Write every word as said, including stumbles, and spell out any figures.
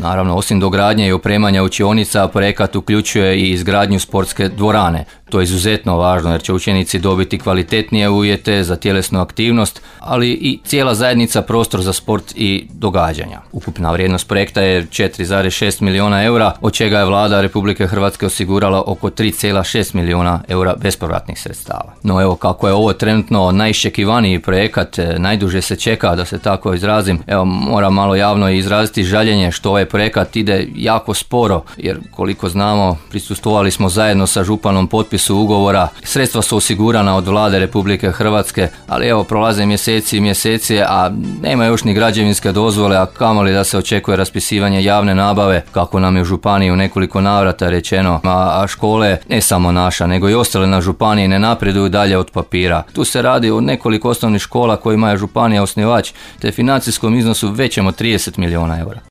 Naravno, osim dogradnje i opremanja učionica, projekat uključuje i izgradnju sportske dvorane. To je izuzetno važno jer će učenici dobiti kvalitetnije uvjete za tjelesnu aktivnost, ali i cijela zajednica prostor za sport i događanja. Ukupna vrijednost projekta je četiri zarez šest milijuna eura, od čega je vlada Republike Hrvatske osigurala oko tri zarez šest milijuna eura bespovratnih sredstava. No evo, kako je ovo trenutno najiščekivaniji projekat, najduže se čeka, da se tako izrazim, evo moram malo javno izraziti žaljenje što ovaj projekat ide jako sporo, jer koliko znamo prisustvovali smo zajedno sa županom potpisu ugovora, sredstva su osigurana od vlade Republike Hrvatske, ali evo prolaze mjeseci i mjeseci, a nema još ni građevinske dozvole, a kamoli da se očekuje raspisivanje javne nabave, kako nam je u županiji u nekoliko navrata rečeno, a, a škole, ne samo naša, nego i ostale na županiji ne napreduju dalje od papira. Tu se radi o nekoliko osnovnih škola kojima je županija osnivač, te financijskom iznosu većem od trideset milijuna eura.